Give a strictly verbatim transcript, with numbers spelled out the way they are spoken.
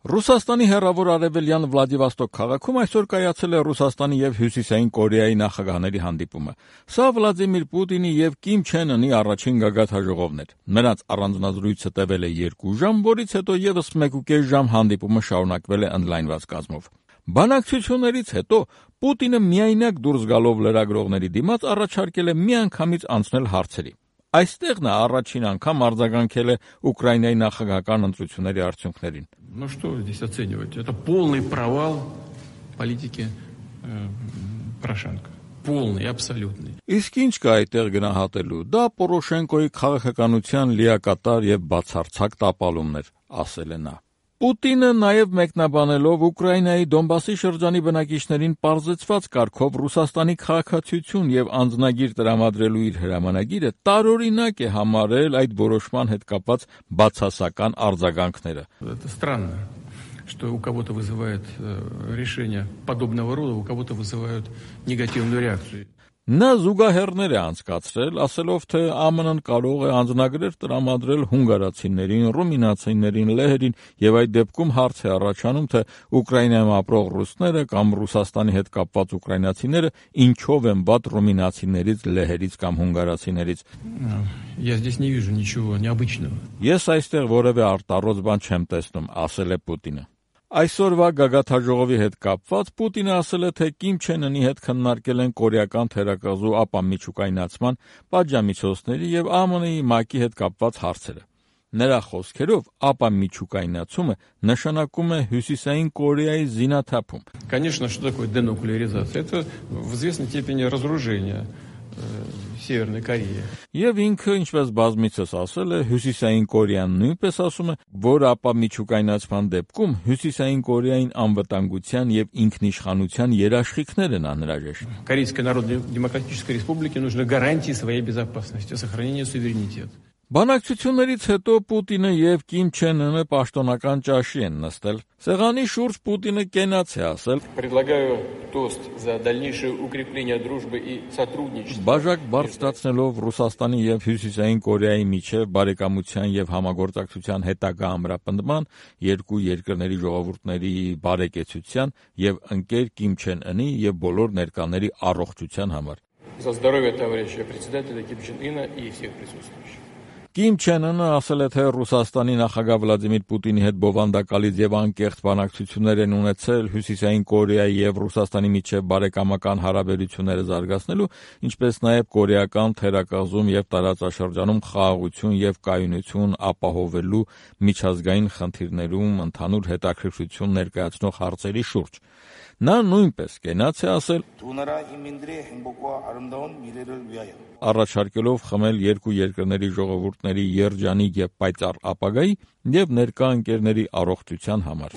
Ռուսաստանի հեռավոր արևելյան Վլադիվոստոկ քաղաքում այսօր կայացել է Ռուսաստանի եւ Հյուսիսային Կորեայի նախագահների հանդիպումը։ Սա Վլադիմիր Պուտինի եւ Կիմ Չեն Ընի առաջին գագաթնաժողովն էր։ Նրանց առանձնազրույցը տևել է երկու ժամ, որից հետո եւս մեկուկես ժամ հանդիպումը շարունակվել է ընդլայնված կազմով։ Բանակցություններից հետո Պուտինը միայնակ դուրս գալով լրագրողների դիմաց առաջարկել է միանգամից անցնել հարցերի։ Այստեղ նա առաջին անգամ արձագանքել է Ուկրաինայի նախագահական ընտրությունների արդյունքներին։ Ну что здесь оценивать? Это полный провал политики э, Порошенко. Полный, абсолютный. Իսկ ինչ կա այդտեղ գնահատելու։ Դա Պորոշենկոյի քաղաքականության լիակատար եւ բացարձակ տապալումն էր, ասել է նա։ Պուտինը նաև մեկնաբանելով Ուկրաինայի Դոնբասի շրջանի բնակիչներին պարզեցված կարգով Ռուսաստանի քաղաքացիություն եւ անձնագիր տրամադրելու իր հրամանագիրը տարօրինակ է համարել այդ որոշման հետ կապված բացասական արձագանքները։ Это странно, что у кого-то вызывает решение подобного рода, у кого-то вызывают негативную реакцию. Նա զուգահեռներ է անցկացրել, ասելով, թե ԱՄՆ-ն կարող է անձնագրեր տրամադրել հունգարացիներին, ռումինացիներին, լեհերին, եւ այդ դեպքում հարց է առաջանում, թե Ուկրաինայում ապրող ռուսները կամ Ռուսաստանի հետ կապված ուկրաինացիները ինչով են վատ ռումինացիներից, լեհերից կամ հունգարացիներից։ Я здесь не вижу ничего необычного. Ես այստեղ որևէ արտառոց բան չեմ տեսնում, ասել է Պուտինը։ Այսօրվա գագաթնաժողովի հետ կապված Պուտինը ասել է, թե Կիմ Չեն Ընի հետ քննարկել են կորեական թերակղզու ապամիջուկայնացման, պատժամիջոցների եւ ԱՄՆ-ի ՄԱԿ-ի հետ կապված հարցերը։ Նրա խոսքերով ապամիջուկայնացումը նշանակում է Հյուսիսային Կորեայի զինաթափում։ Конечно, что такое денуклеаризация? Это в известной степени разоружение Северной Кореи. Եվ ինքը, ինչպես բազմիցս ասել է, Հյուսիսային Կորեան нույնպես ասում է, որ ապամիջուկայնացման դեպքում Հյուսիսային Կորեային անվտանգության եւ ինքնիշխանության երաշխիքներ են անհրաժեշտ։ Корейской Народно-Демократической Республике нужны гарантии своей безопасности, сохранения суверенитета. Բանակցություններից հետո Պուտինը եւ Կիմ Չեն Ընը պաշտոնական ճաշի են նստել։ Սեղանի շուրջ Պուտինը կենաց է ասել. Предлагаю тост за дальнейшее укрепление дружбы и сотрудничества. Բաժակ բարձրացնելով Ռուսաստանի եւ Հյուսիսային Կորեայի միջև բարեկամության եւ համագործակցության հետագա ամրապնդման, երկու երկրների ժողովուրդների բարեկեցության եւ ընկեր Կիմ Չեն Ընի եւ բոլոր ներկաների առողջության համար։ За здоровье товарища председателя Ким Чен Ына и всех присутствующих. Կիմ Չեն Ընը ասել է, թե Ռուսաստանի նախագահ Վլադիմիր Պուտինի հետ բովանդակալից եւ անկեղծ բանակցություններ են ունեցել Հյուսիսային Կորեայի եւ Ռուսաստանի միջև բարեկամական հարաբերությունները զարգացնելու, ինչպես նաեւ կորեական թերակղզում եւ տարածաշրջանում խաղաղություն եւ կայունություն ապահովելու միջազգային խնդիրներում ընդհանուր հետաքրքրություն ներկայացնող հարցերի շուրջ։ Նա նույնպես կենաց է ասել, առաջարկելով խմել երկու երկրների ժողովուրդների երջանիկ եւ պայծառ ապագայի եւ ներկա ընկերների առողջության համար։